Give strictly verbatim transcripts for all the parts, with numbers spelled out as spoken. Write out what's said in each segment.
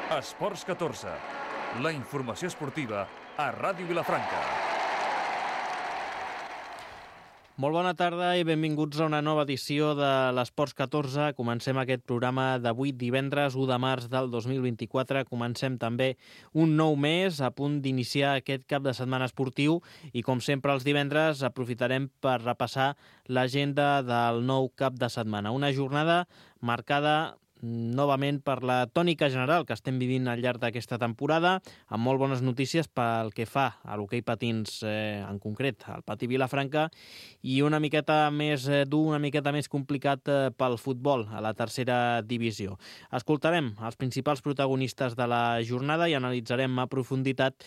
Esports catorze, la informació esportiva a Ràdio Vilafranca. Molt bona tarda i benvinguts a una nova edició de l'Esports catorze. Comencem aquest programa d'avui divendres u de març del dos mil vint-i-quatre. Comencem també un nou mes a punt d'iniciar aquest cap de setmana esportiu i com sempre els divendres aprofitarem per repassar l'agenda del nou cap de setmana. Una jornada marcada novament per la tònica general que estem vivint al llarg d'aquesta temporada, amb molt bones notícies pel que fa a l'hoquei patins, eh, en concret al Patí Vilafranca, i una miqueta més eh, dur, una miqueta més complicat eh, pel futbol a la tercera divisió. Escoltarem els principals protagonistes de la jornada i analitzarem a profunditat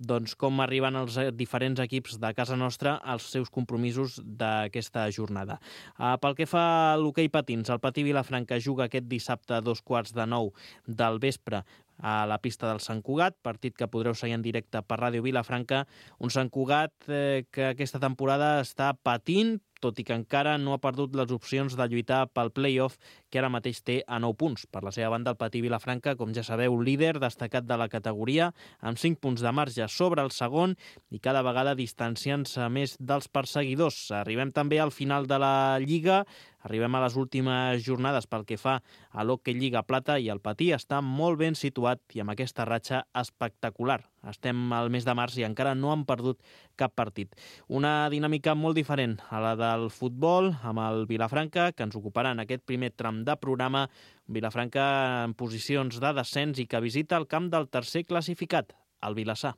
doncs, com arriben els diferents equips de casa nostra als seus compromisos d'aquesta jornada. Uh, pel que fa a l'hoquei patins, el Patí Vilafranca juga aquest dissabte a dos quarts de nou del vespre a la pista del Sant Cugat, partit que podreu seguir en directe per Ràdio Vilafranca. Un Sant Cugat eh, que aquesta temporada està patint, tot i que encara no ha perdut les opcions de lluitar pel play-off, que ara mateix té a nou punts. Per la seva banda, el Patí Vilafranca, com ja sabeu, líder destacat de la categoria, amb cinc punts de marge sobre el segon i cada vegada distanciant-se més dels perseguidors. Arribem també al final de la Lliga, arribem a les últimes jornades pel que fa a l'Hockey Lliga Plata i el Patí està molt ben situat i amb aquesta ratxa espectacular. Estem al mes de març i encara no han perdut cap partit. Una dinàmica molt diferent a la del futbol amb el Vilafranca, que ens ocuparà en aquest primer tram de programa. Vilafranca en posicions de descens i que visita el camp del tercer classificat, el Vilassar.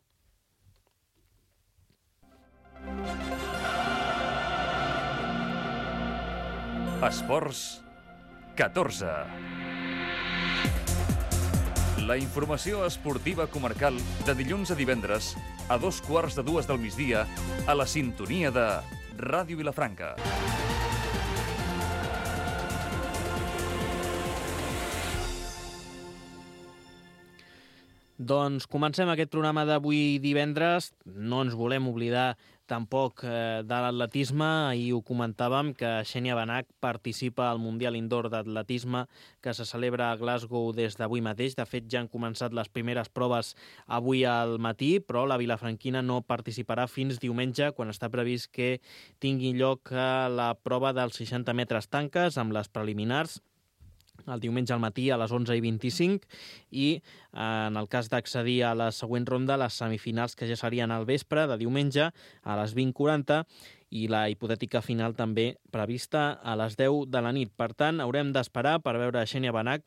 Esports catorze. La informació esportiva comarcal de dilluns a divendres a dos quarts de dues del migdia a la sintonia de Ràdio Vilafranca. Doncs comencem aquest programa d'avui divendres. No ens volem oblidar tampoc eh, de l'atletisme. Ahir ho comentàvem que Xènia Benach participa al Mundial Indoor d'Atletisme que se celebra a Glasgow des d'avui mateix. De fet, ja han començat les primeres proves avui al matí, però la vilafranquina no participarà fins diumenge, quan està previst que tingui lloc la prova dels seixanta metres tanques amb les preliminars el diumenge al matí a les onze i vint-i-cinc i en el cas d'accedir a la següent ronda, les semifinals que ja serien al vespre de diumenge a les vint quaranta i la hipotètica final també prevista a les deu de la nit. Per tant, haurem d'esperar per veure Xènia Benach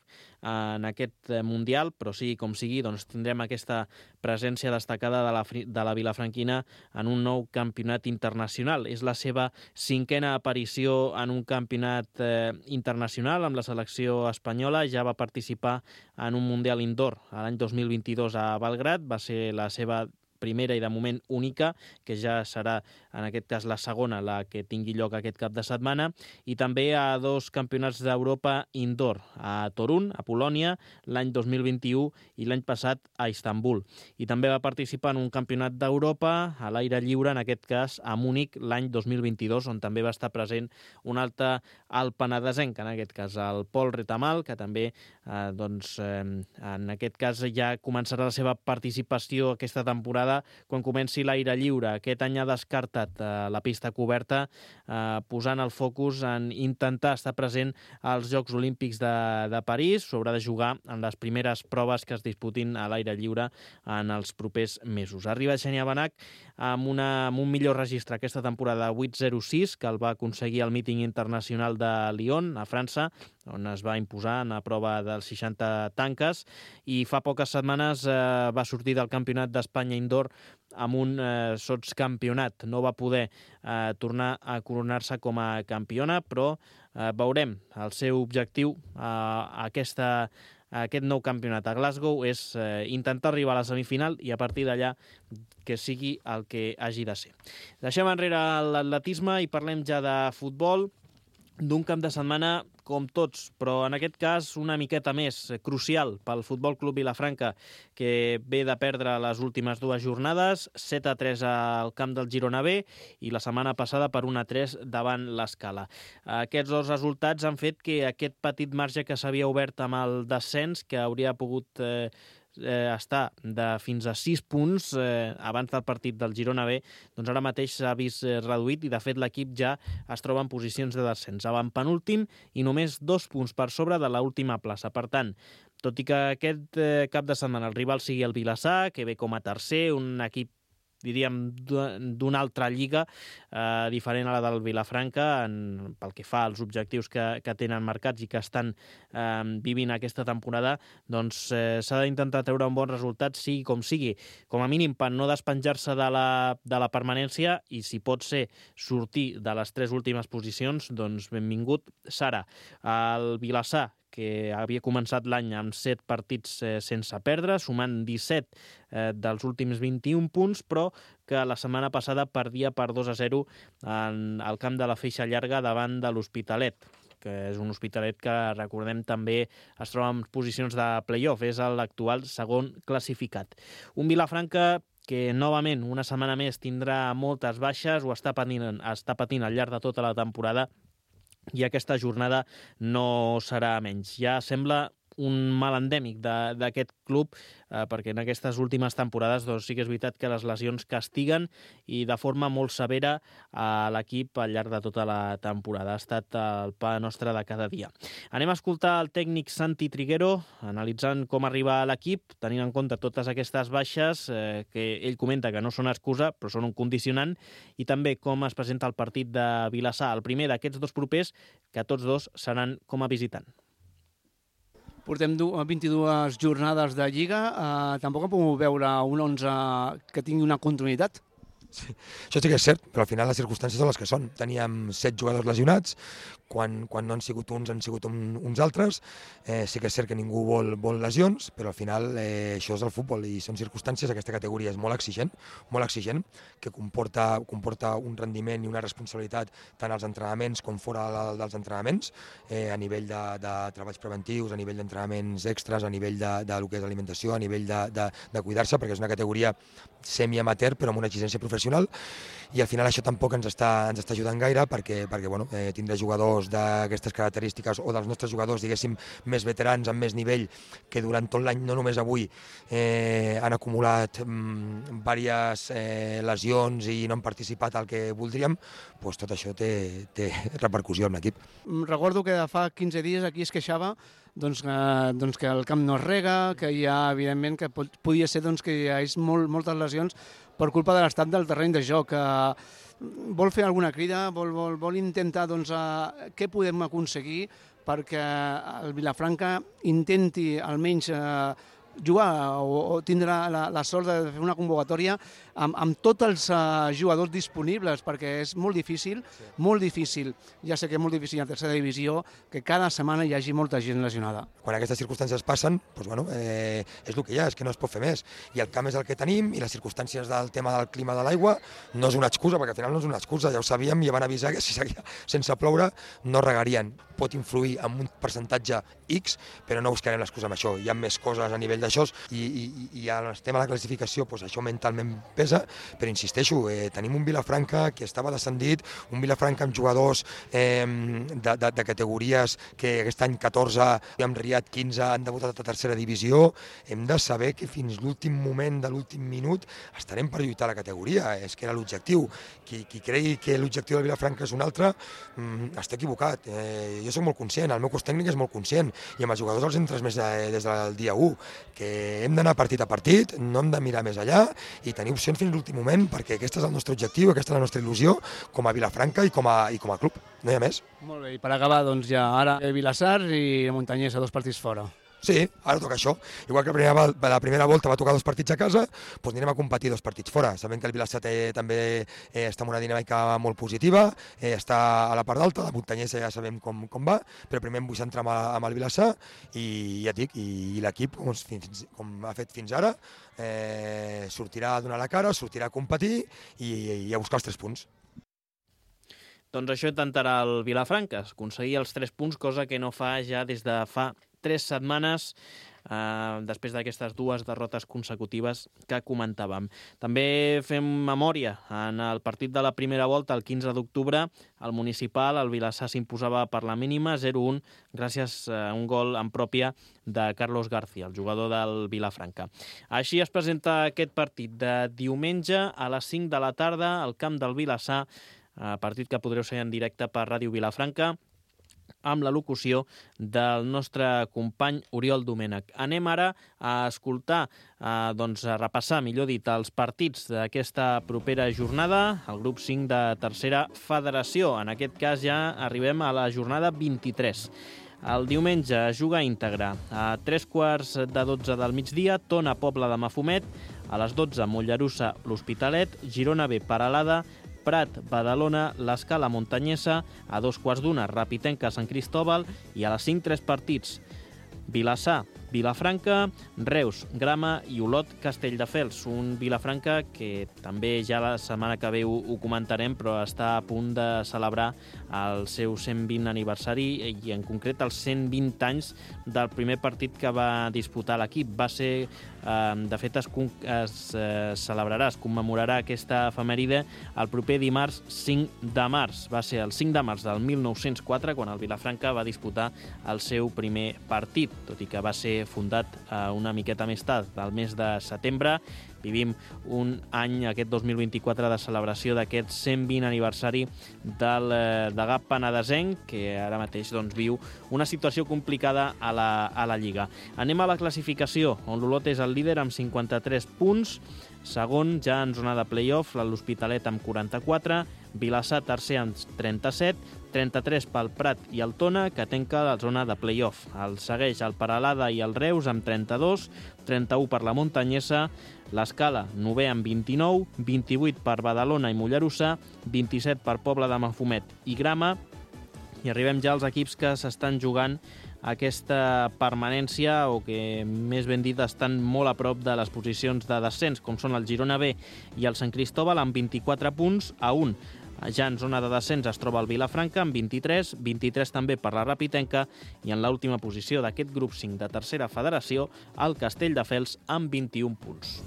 en aquest Mundial, però sigui com sigui, doncs tindrem aquesta presència destacada de la, de la vilafranquina en un nou campionat internacional. És la seva cinquena aparició en un campionat eh, internacional amb la selecció espanyola. Ja va participar en un Mundial Indoor l'any dos mil vint-i-dos a Belgrad, va ser la seva primera i de moment única, que ja serà en aquest cas la segona la que tingui lloc aquest cap de setmana, i també a dos campionats d'Europa indoor, a Torun, a Polònia, l'any dos mil vint-i-u i l'any passat a Istanbul. I també va participar en un campionat d'Europa a l'aire lliure, en aquest cas a Múnich, l'any dos mil vint-i-dos, on també va estar present un altre alt penedesenc, en aquest cas el Pol Retamal, que també eh, doncs, eh, en aquest cas ja començarà la seva participació aquesta temporada quan comenci l'aire lliure. Aquest any ha descartat eh, la pista coberta, eh, posant el focus en intentar estar present als Jocs Olímpics de, de París. S'haurà de jugar en les primeres proves que es disputin a l'aire lliure en els propers mesos. Arriba Xènia Benach amb, una, amb un millor registre aquesta temporada, vuit zero sis, que el va aconseguir al míting internacional de Lyon, a França, on es va imposar en la prova dels seixanta tanques, i fa poques setmanes eh, va sortir del Campionat d'Espanya Indoor amb un eh, sotscampionat. No va poder eh, tornar a coronar-se com a campiona, però eh, veurem. El seu objectiu eh, a aquesta, a aquest nou campionat a Glasgow és eh, intentar arribar a la semifinal i a partir d'allà que sigui el que hagi de ser. Deixem enrere l'atletisme i parlem ja de futbol, d'un cap de setmana com tots, però en aquest cas una miqueta més crucial pel Futbol Club Vilafranca, que ve de perdre les últimes dues jornades, set a tres al camp del Girona B i la setmana passada per un a tres davant l'Escala. Aquests dos resultats han fet que aquest petit marge que s'havia obert amb el descens, que hauria pogut eh, eh, està de fins a sis punts eh, abans del partit del Girona B, doncs ara mateix s'ha vist eh, reduït i de fet l'equip ja es troba en posicions de descens. Avant penúltim i només dos punts per sobre de l'última plaça. Per tant, tot i que aquest eh, cap de setmana el rival sigui el Vilassar, que ve com a tercer, un equip diríem, d'una altra lliga, eh, diferent a la del Vilafranca, en, pel que fa als objectius que, que tenen marcats i que estan eh, vivint aquesta temporada, doncs eh, s'ha d'intentar treure un bon resultat, sigui com sigui, com a mínim per no despenjar-se de la, de la permanència i, si pot ser, sortir de les tres últimes posicions, doncs benvingut serà. El Vilassar, que havia començat l'any amb set partits eh, sense perdre, sumant disset eh, dels últims vint-i-un punts, però que la setmana passada perdia per dos a zero en el camp de la Feixa Llarga davant de l'Hospitalet, que és un Hospitalet que, recordem, també es troba en posicions de play-off, és l'actual segon classificat. Un Vilafranca que, novament, una setmana més tindrà moltes baixes, ho està patint, està patint al llarg de tota la temporada, i aquesta jornada no serà menys. Ja sembla un mal endèmic d'aquest club, eh, perquè en aquestes últimes temporades doncs, sí que és veritat que les lesions castiguen i de forma molt severa a l'equip al llarg de tota la temporada. Ha estat el pa nostre de cada dia. Anem a escoltar el tècnic Santi Triguero, analitzant com arriba a l'equip, tenint en compte totes aquestes baixes, eh, que ell comenta que no són excusa, però són un condicionant, i també com es presenta el partit de Vilassar, el primer d'aquests dos propers, que tots dos seran com a visitant. Portem vint-i-dues jornades de Lliga, eh, tampoc hem pogut veure un onze que tingui una continuïtat. Sí, això sí que és cert, però al final les circumstàncies són les que són. Teníem set jugadors lesionats, quan, quan no han sigut uns han sigut un, uns altres. Eh, sí que és cert que ningú vol, vol lesions, però al final eh, això és el futbol i són circumstàncies. Aquesta categoria és molt exigent, molt exigent, que comporta, comporta un rendiment i una responsabilitat tant als entrenaments com fora dels entrenaments, eh, a nivell de, de treballs preventius, a nivell d'entrenaments extras, a nivell de, de lo que és alimentació, a nivell de, de, de cuidar-se, perquè és una categoria semi-amateur però amb una exigència professional, i al final això tampoc ens està, ens està ajudant gaire perquè, perquè bueno, eh, tindrà jugadors d'aquestes característiques o dels nostres jugadors, diguéssim, més veterans, amb més nivell, que durant tot l'any, no només avui, eh, han acumulat mm, diverses eh, lesions i no han participat al que voldríem, doncs tot això té, té repercussió en l'equip. Recordo que fa quinze dies aquí es queixava doncs, eh, doncs que el camp no es rega, que hi ha, evidentment, que pot, podia ser doncs, que hi ha molt, moltes lesions per culpa de l'estat del terreny de joc. Eh, vol fer alguna crida, vol, vol, vol intentar doncs, eh, què podem aconseguir perquè el Vilafranca intenti almenys eh, jugar o, o tindrà la, la sort de fer una convocatòria amb, amb tots els uh, jugadors disponibles, perquè és molt difícil, sí. molt difícil, ja sé que és molt difícil a tercera divisió, que cada setmana hi hagi molta gent lesionada. Quan aquestes circumstàncies passen, doncs, bueno, eh, és el que hi ha, és que no es pot fer més. I el camp és el que tenim, i les circumstàncies del tema del clima de l'aigua no és una excusa, perquè al final no és una excusa, ja ho sabíem i ja van avisar que si seguia sense ploure no regarien. Pot influir en un percentatge X, però no buscarem l'excusa amb això. Hi ha més coses a nivell d'això, i, i, i al tema de la classificació, doncs això mentalment pesa, però insisteixo, eh, tenim un Vilafranca que estava descendit, un Vilafranca amb jugadors eh, de, de, de categories que aquest any catorze, amb Riad quinze han debutat a tercera divisió. Hem de saber que fins l'últim moment de l'últim minut estarem per lluitar la categoria, és que era l'objectiu. Qui, qui cregui que l'objectiu del Vilafranca és un altre, mm, està equivocat. Eh, jo soc molt conscient, el meu cos tècnic és molt conscient, i amb els jugadors els hem transmès des del dia u, que hem d'anar partit a partit, no hem de mirar més allà i tenir opcions fins l'últim moment, perquè aquest és el nostre objectiu, aquesta és la nostra il·lusió com a Vilafranca i com a, i com a club, no hi ha més. Molt bé, i per acabar, doncs ja ara Vilassar i Montanyès a dos partits fora. Sí, ara toca això. Igual que la primera, la primera volta va tocar dos partits a casa, doncs anirem a competir dos partits fora. Sabem que el Vilassar també eh, està en una dinàmica molt positiva, eh, està a la part d'alta, la Montanyesa ja sabem com, com va, però primer em vull centrar amb, amb el Vilassar i ja et dic, i, i l'equip, com, com ha fet fins ara, eh, sortirà a donar la cara, sortirà a competir i, i a buscar els tres punts. Doncs això intentarà el Vilafranca, aconseguir els tres punts, cosa que no fa ja des de fa tres setmanes eh, després d'aquestes dues derrotes consecutives que comentàvem. També fem memòria. En el partit de la primera volta, el quinze d'octubre, el municipal, el Vilassar s'imposava per la mínima zero a un gràcies a un gol en pròpia de Carlos García, el jugador del Vilafranca. Així es presenta aquest partit de diumenge a les cinc de la tarda al camp del Vilassar, partit que podreu seguir en directe per Ràdio Vilafranca, amb la locució del nostre company Oriol Domènech. Anem ara a escoltar, a, doncs, a repassar, millor dit, els partits d'aquesta propera jornada, el grup cinc de tercera federació. En aquest cas ja arribem a la jornada vint-i-tres. El diumenge es juga íntegre. A tres quarts de dotze del migdia, Tona Pobla de Mafumet. A les dotze, Mollerussa, l'Hospitalet. Girona B, Peralada. Prat, Badalona, l'Escala Montanyesa. A dos quarts d'una, Rapitenca, Sant Cristòbal. I a les cinc, tres partits. Vilassar, Vilafranca, Reus, Grama i Olot, Castelldefels. Un Vilafranca que també ja la setmana que ve ho, ho comentarem, però està a punt de celebrar el seu cent vint aniversari i en concret els cent vint anys del primer partit que va disputar l'equip. Va ser, eh, de fet, es, es eh, celebrarà, es commemorarà aquesta efemèride el proper dimarts cinc de març. Va ser el cinc de març del mil nou-cents quatre quan el Vilafranca va disputar el seu primer partit, tot i que va ser fundat eh, una miqueta més tard, del mes de setembre. Vivim un any, aquest dos mil vint-i-quatre, de celebració d'aquest cent vint aniversari del eh, degà penedesenc, que ara mateix doncs, viu una situació complicada a la, a la Lliga. Anem a la classificació, on l'Olot és el líder amb cinquanta-tres punts, segon ja en zona de play-off, l'Hospitalet amb quaranta-quatre, Vilassar tercer amb trenta-set, trenta-tres pel Prat i el Tona, que tanca la zona de play-off. El segueix el Peralada i el Reus amb trenta-dos, trenta-u per la Montanyesa, l'Escala novè amb vint-i-nou, vint-i-vuit per Badalona i Mollerussa, vint-i-set per Pobla de Mafumet i Grama, i arribem ja als equips que s'estan jugant aquesta permanència, o que més ben dit estan molt a prop de les posicions de descens, com són el Girona B i el Sant Cristòbal amb vint-i-quatre punts a un. Ja en zona de descens es troba el Vilafranca amb vint-i-tres, vint-i-tres també per la Rapitenca, i en l'última posició d'aquest grup cinc de tercera federació, el Castelldefels amb vint-i-un punts.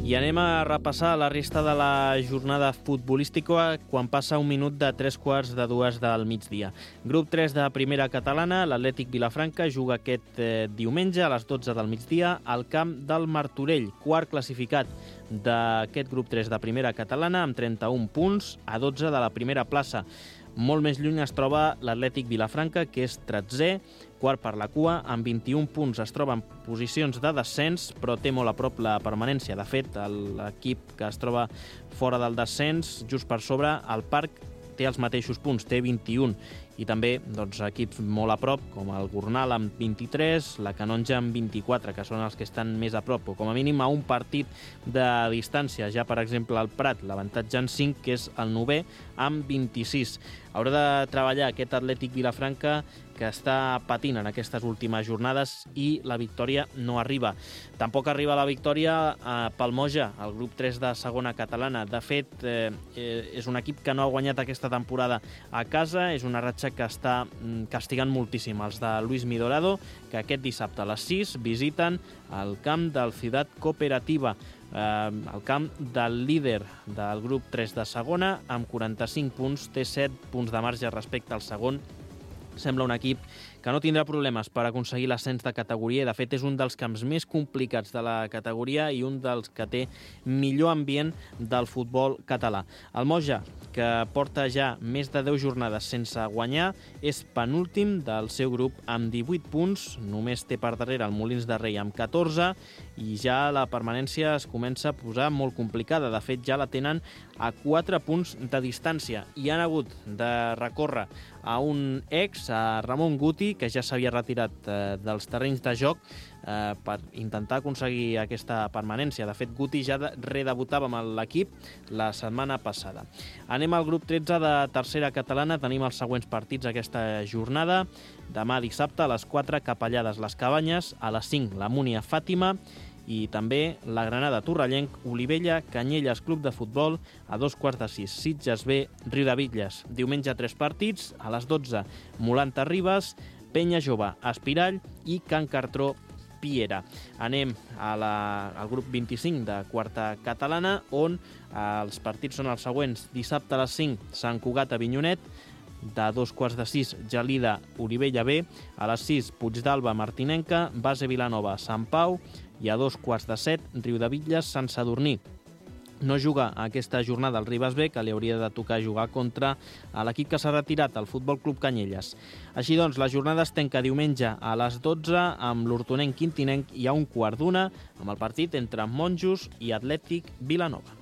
I anem a repassar la resta de la jornada futbolística quan passa un minut de tres quarts de dues del migdia. Grup tres de primera catalana, l'Atlètic Vilafranca juga aquest eh, diumenge a les dotze del migdia al camp del Martorell, quart classificat d'aquest grup tres de primera catalana amb trenta-un punts a dotze de la primera plaça. Molt més lluny es troba l'Atlètic Vilafranca, que és tretzè, quart per la cua, amb vint-i-un punts. Es troba en posicions de descens, però té molt a prop la permanència. De fet, l'equip que es troba fora del descens, just per sobre, el Parc, té els mateixos punts, té vint-i-un. I també doncs, equips molt a prop, com el Gornal amb vint-i-tres, la Canonja amb vint-i-quatre, que són els que estan més a prop, o com a mínim a un partit de distància. Ja, per exemple, el Prat, l'avantatge en cinc, que és el novè, amb vint-i-sis. Haurà de treballar aquest Atlètic Vilafranca, que està patint en aquestes últimes jornades, i la victòria no arriba. Tampoc arriba la victòria a Palmoja, el grup tres de segona catalana. De fet, eh, és un equip que no ha guanyat aquesta temporada a casa, és una ratxa que està castigant moltíssim els de Luis Midorado, que aquest dissabte a les sis visiten el camp del Ciutat Cooperativa, eh, el camp del líder del grup tres de segona, amb quaranta-cinc punts, té set punts de marge respecte al segon. Sembla un equip que no tindrà problemes per aconseguir l'ascens de categoria, i de fet és un dels camps més complicats de la categoria i un dels que té millor ambient del futbol català. El Moja, que porta ja més de deu jornades sense guanyar, és penúltim del seu grup amb divuit punts, només té per darrere el Molins de Rei amb catorze, i ja la permanència es comença a posar molt complicada. De fet, ja la tenen a quatre punts de distància i han hagut de recórrer a un ex, a Ramon Guti, que ja s'havia retirat eh, dels terrenys de joc eh, per intentar aconseguir aquesta permanència. De fet, Guti ja redebutava amb l'equip la setmana passada. Anem al grup tretze de tercera catalana. Tenim els següents partits aquesta jornada. Demà dissabte a les quatre, Capellades les Cabanyes, a les cinc, la Múnia Fàtima, I també la Granada Torrellenc, Olivella, Canyelles Club de Futbol, a dos quarts de sis, Sitges B, Riudebitlles. Diumenge tres partits, a les dotze, Molanta Ribes, Penya Jove, Espirall i Can Cartró, Piera. Anem a la, al grup vint-i-cinc de quarta catalana, on eh, els partits són els següents. Dissabte a les cinc, Sant Cugat Avinyonet, de dos quarts de sis, Gelida Olivella B, a les sis, Puigdàlber Martinenca, Base Vilanova Sant Pau, i a dos quarts de set, Riudebitlles Sant Sadurní. No juga aquesta jornada el Ribes B, que li hauria de tocar jugar contra l'equip que s'ha retirat, el Futbol Club Canyelles. Així doncs, la jornada es tanca diumenge a les dotze amb l'Hortonenc Quintinenc i a un quart d'una amb el partit entre Monjos i Atlètic Vilanova.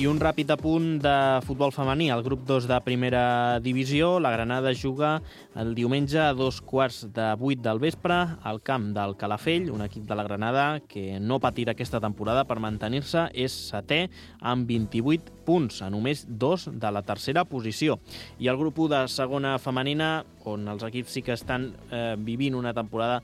I un ràpid apunt de futbol femení. Al grup dos de primera divisió, la Granada juga el diumenge a dos quarts de vuit del vespre al camp del Calafell, un equip de la Granada que no patirà aquesta temporada per mantenir-se, és setè amb vint-i-vuit punts, a només dos de la tercera posició. I el grup u de segona femenina, on els equips sí que estan eh, vivint una temporada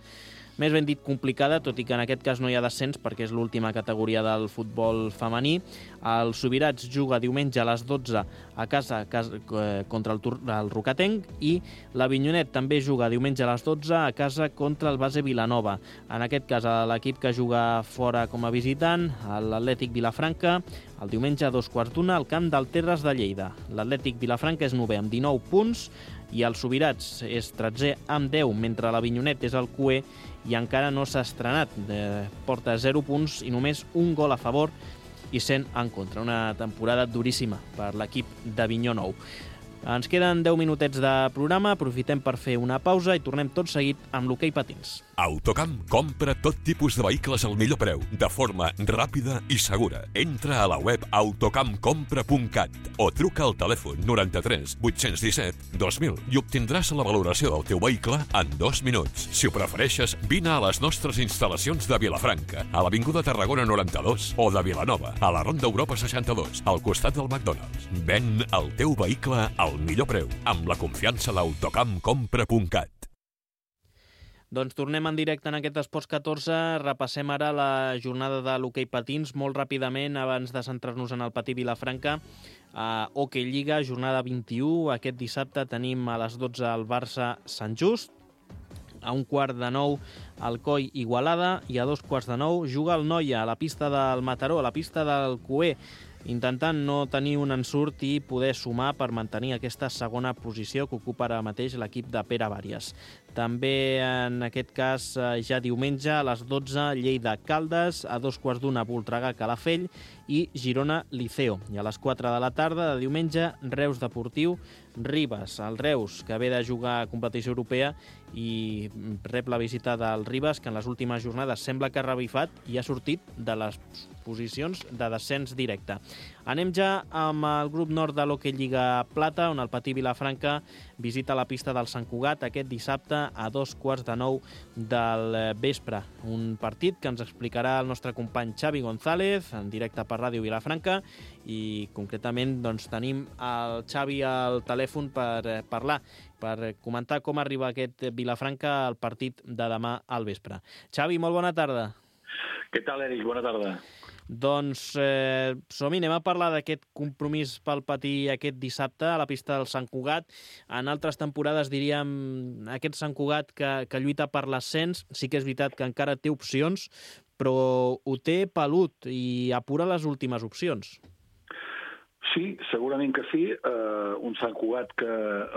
més ben dit complicada, tot i que en aquest cas no hi ha descens perquè és l'última categoria del futbol femení. El Subirats juga diumenge a les dotze a casa, a casa eh, contra el, el Rocatenc, i l'Avinyonet també juga diumenge a les dotze a casa contra el Base Vilanova. En aquest cas l'equip que juga fora com a visitant, l'Atlètic Vilafranca, el diumenge a dos quarts d'una al camp del Terres de Lleida. L'Atlètic Vilafranca és novè amb dinou punts i el Subirats és tretzè amb deu, mentre l'Avinyonet és el cuer i encara no s'ha estrenat. Porta zero punts i només un gol a favor i cent en contra. Una temporada duríssima per l'equip d'Avinyó Nou. Ens queden deu minutets de programa, aprofitem per fer una pausa i tornem tot seguit amb l'hoquei patins. Autocamp compra tot tipus de vehicles al millor preu, de forma ràpida i segura. Entra a la web autocamp compra punt cat o truca al telèfon noranta-tres vuit-cents disset dos mil i obtindràs la valoració del teu vehicle en dos minuts. Si ho prefereixes, vine a les nostres instal·lacions de Vilafranca, a l'Avinguda Tarragona noranta-dos, o de Vilanova, a la Ronda Europa seixanta-dos, al costat del McDonald's. Ven el teu vehicle al millor preu, amb la confiança d'autocamp compra punt cat. Doncs tornem en directe en aquest Esports catorze. Repassem ara la jornada de l'hoquei patins molt ràpidament abans de centrar-nos en el patí Vilafranca. A Hockey Lliga, jornada vint-i-u. Aquest dissabte tenim a les dotze el Barça Sant Just. A un quart de nou el Coi Igualada i a dos quarts de nou juga el Noia a la pista del Mataró, a la pista del Cuer, intentant no tenir un ensurt i poder sumar per mantenir aquesta segona posició que ocupa ara mateix l'equip de Pere Bàries. També en aquest cas ja diumenge a les dotze Lleida Caldes, a dos quarts d'una Voltregà Calafell i Girona Liceo. I a les quatre de la tarda de diumenge Reus Deportiu Ribes. El Reus, que ve de jugar a competició europea i rep la visita del Ribes, que en les últimes jornades sembla que ha revifat i ha sortit de les posicions de descens directe. Anem ja amb el grup nord de l'Hockey Lliga Plata, on el Patí Vilafranca visita la pista del Sant Cugat aquest dissabte a dos quarts de nou del vespre. Un partit que ens explicarà el nostre company Xavi González, en directe per Ràdio Vilafranca, i concretament doncs, tenim el Xavi al telèfon per parlar, per comentar com arriba aquest Vilafranca al partit de demà al vespre. Xavi, molt bona tarda. Què tal, Eric? Bona tarda. Doncs eh, som-hi, anem a parlar d'aquest compromís pel Patí aquest dissabte a la pista del Sant Cugat. En altres temporades diríem aquest Sant Cugat que, que lluita per l'ascens. Sí que és veritat que encara té opcions, però ho té pelut i apura les últimes opcions. Sí, segurament que sí. Uh, un Sant Cugat que,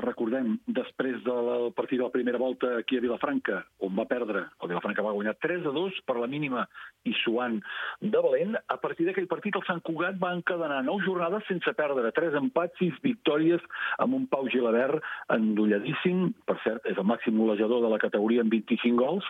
recordem, després del partit de la primera volta aquí a Vilafranca, on va perdre, el Vilafranca va guanyar tres a dos per la mínima i suant de valent, a partir d'aquell partit el Sant Cugat va encadenar nou jornades sense perdre, tres empats, sis victòries, amb un Pau Gilabert endolladíssim, per cert, és el màxim golejador de la categoria amb vint-i-cinc gols,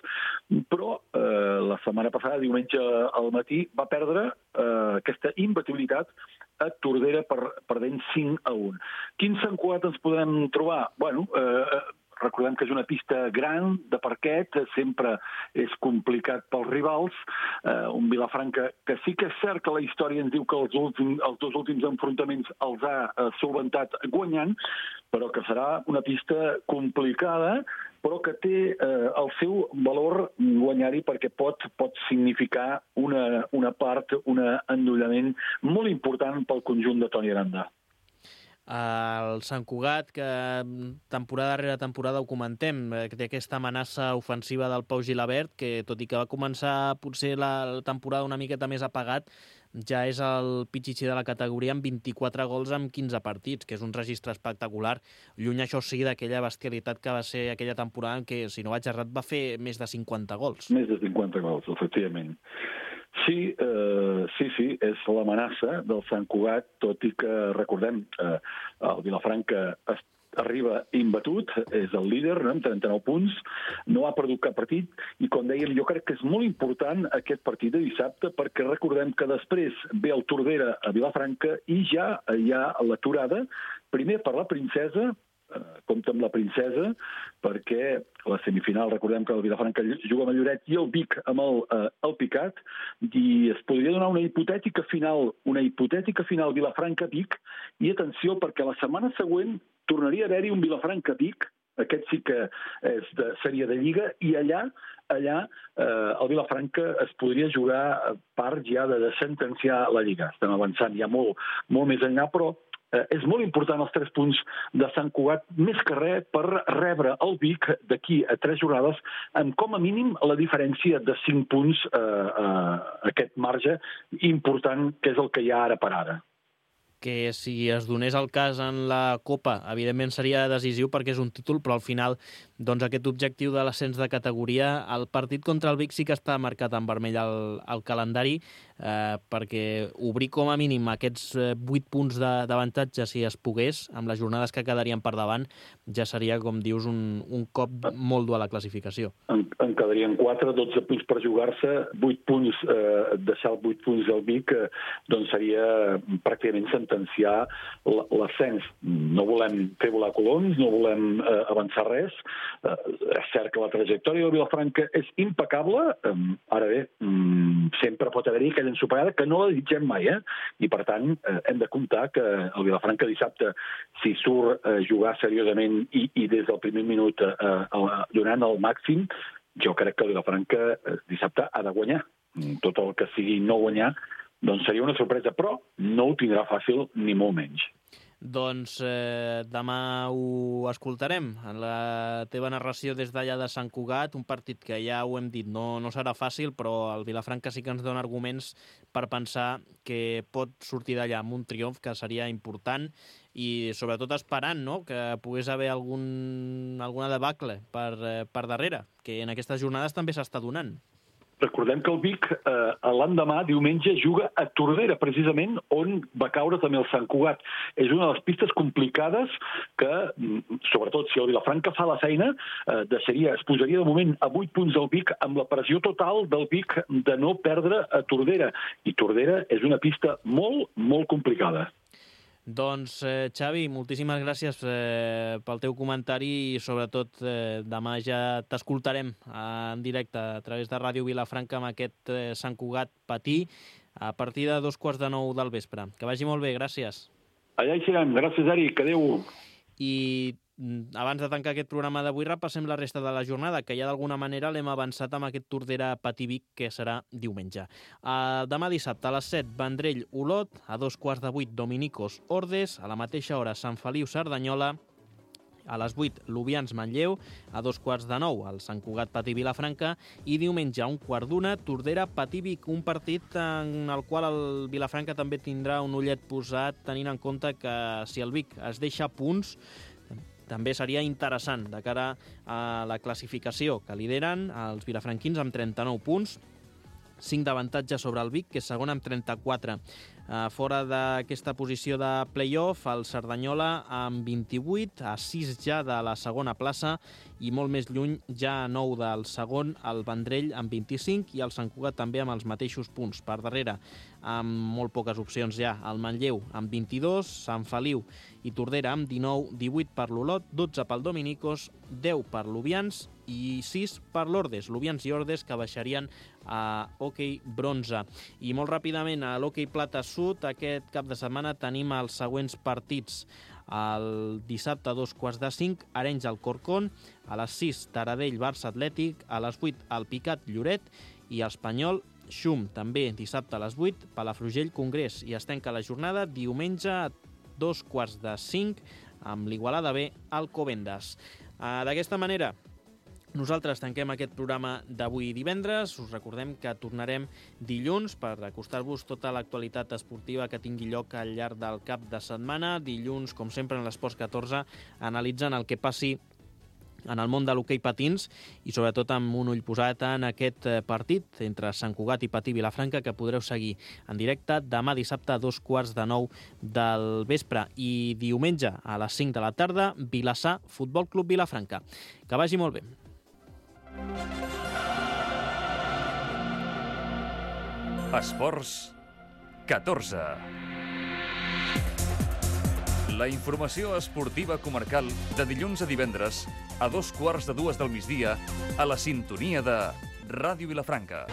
però uh, la setmana passada, diumenge al matí, va perdre uh, aquesta imbatibilitat a Tordera per, perdent cinc a un. Quin Sant Cugat ens podrem trobar? Bueno, eh, recordem que és una pista gran, de parquet, sempre és complicat pels rivals. Eh, un Vilafranca que sí que és cert que la història ens diu que els, últims, els dos últims enfrontaments els ha eh, solventat guanyant, però que serà una pista complicada, però que té eh, el seu valor guanyar-hi perquè pot, pot significar una, una part, un endollament molt important pel conjunt de Toni Aranda. El Sant Cugat, que temporada darrere temporada ho comentem, que té aquesta amenaça ofensiva del Pau Gilabert, que tot i que va començar potser la temporada una miqueta més apagat, ja és el pitxitxí de la categoria amb vint-i-quatre gols en quinze partits, que és un registre espectacular. Lluny, això sí, d'aquella bestialitat que va ser aquella temporada en què, si no vaig errat, va fer més de cinquanta gols. Més de cinquanta gols, efectivament. Sí, eh, sí, sí, és l'amenaça del Sant Cugat, tot i que, recordem, eh, el Vilafranca es arriba imbatut, és el líder, no? Amb trenta-nou punts, no ha perdut cap partit, i com dèiem, jo crec que és molt important aquest partit de dissabte, perquè recordem que després ve el Tordera a Vilafranca i ja hi ha l'aturada, primer per la Princesa, compta amb la Princesa, perquè la semifinal, recordem que el Vilafranca juga amb el Lloret i el Vic amb el, eh, el Picat, i es podria donar una hipotètica final, una hipotètica final Vilafranca-Vic, i atenció, perquè la setmana següent tornaria a haver-hi un Vilafranca-Vic, aquest sí que és de, seria de Lliga, i allà allà eh, el Vilafranca es podria jugar part ja de, de sentenciar la Lliga. Estem avançant ja molt, molt més enllà, però Eh, és molt important els tres punts de Sant Cugat, més que res per rebre el Vic d'aquí a tres jornades amb com a mínim la diferència de cinc punts, eh, eh, aquest marge important que és el que hi ha ara per ara. Que si es donés el cas en la Copa, evidentment seria decisiu perquè és un títol, però al final doncs aquest objectiu de l'ascens de categoria, el partit contra el Vic sí que està marcat en vermell al, al calendari, eh, perquè obrir com a mínim aquests vuit punts d'avantatge, si es pogués, amb les jornades que quedarien per davant, ja seria, com dius, un, un cop molt dur a la classificació. En, en quedarien quatre, dotze punts per jugar-se, vuit punts, eh, deixar els vuit punts del Vic, eh, doncs seria pràcticament sentenciar l'ascens. No volem fer volar coloms, no volem eh, avançar res. Eh, és cert que la trajectòria del Vilafranca és impecable. Eh, ara bé, mm, sempre pot haver-hi aquella ensopeada que no la desitgem mai, eh? I per tant eh, hem de comptar que el Vilafranca dissabte, si surt a eh, jugar seriosament i, i des del primer minut eh, eh, donant el màxim, jo crec que el Vilafranca eh, dissabte ha de guanyar. Tot el que sigui no guanyar doncs seria una sorpresa, però no ho tindrà fàcil ni molt menys. Doncs eh, demà ho escoltarem en la teva narració des d'allà de Sant Cugat, un partit que ja ho hem dit, no, no serà fàcil, però el Vilafranca sí que ens dona arguments per pensar que pot sortir d'allà amb un triomf que seria important i sobretot esperant, no?, que pogués haver algun, alguna debacle per, eh, per darrere, que en aquestes jornades també s'està donant. Recordem que el Vic eh, l'endemà, diumenge, juga a Tordera, precisament on va caure també el Sant Cugat. És una de les pistes complicades que, sobretot si el Vilafranca fa la feina, eh, deixaria, es posaria de moment a vuit punts del Vic amb la pressió total del Vic de no perdre a Tordera. I Tordera és una pista molt, molt complicada. Doncs, eh, Xavi, moltíssimes gràcies eh, pel teu comentari i, sobretot, eh, demà ja t'escoltarem en directe a través de Ràdio Vilafranca amb aquest eh, Sant Cugat Patí a partir de dos quarts de nou del vespre. Que vagi molt bé, gràcies. Allà hi serem. Gràcies, Eric. Adéu. I abans de tancar aquest programa d'avui repassem la resta de la jornada, que ja d'alguna manera l'hem avançat amb aquest Tordera Patí-Vic, que serà diumenge. Uh, demà dissabte a les set, Vendrell Olot, a dos quarts de vuit, Dominicos Ordes, a la mateixa hora Sant Feliu Cerdanyola, a les vuit, Lubians Manlleu, a dos quarts de nou, el Sant Cugat Patí Vilafranca, i diumenge a un quart d'una, Tordera Patí-Vic, un partit en el qual el Vilafranca també tindrà un ullet posat, tenint en compte que si el Vic es deixa punts, també seria interessant de cara a la classificació que lideren els vilafranquins amb trenta-nou punts, cinc d'avantatge sobre el Vic, que és segon amb trenta-quatre. Fora d'aquesta posició de play-off, el Cerdanyola amb vint-i-vuit, a sis ja de la segona plaça i molt més lluny, ja a nou del segon, el Vendrell amb vint-i-cinc i el Sant Cugat també amb els mateixos punts. Per darrere, amb molt poques opcions ja, el Manlleu amb vint-i-dos, Sant Feliu i Tordera amb dinou, divuit per l'Olot, dotze pel Dominicos, deu per l'Ovians i sis per l'Ordes. L'Ovians i Ordes que baixarien a hoquei bronze. I molt ràpidament a l'hoquei plata sud, aquest cap de setmana tenim els següents partits. El dissabte a dos quarts de cinc, Arenys al Corcón, a les sis, Taradell, Barça Atlètic, a les vuit, el Picat, Lloret i Espanyol, Xum, també dissabte a les vuit, Palafrugell, Congrés. I es tanca la jornada diumenge a dos quarts de cinc, amb l'Igualada B, Alcobendas. D'aquesta manera, nosaltres tanquem aquest programa d'avui divendres. Us recordem que tornarem dilluns per acostar-vos tota l'actualitat esportiva que tingui lloc al llarg del cap de setmana. Dilluns, com sempre, en l'Esports catorze, analitzant el que passi en el món de l'hoquei patins i sobretot amb un ull posat en aquest partit entre Sant Cugat i Patí Vilafranca que podreu seguir en directe demà dissabte a dos quarts de nou del vespre i diumenge a les cinc de la tarda, Vilassar, Futbol Club Vilafranca. Que vagi molt bé. Esports catorze. La informació esportiva comarcal de dilluns a divendres a dos quarts de dues del migdia a la sintonia de Ràdio Vilafranca.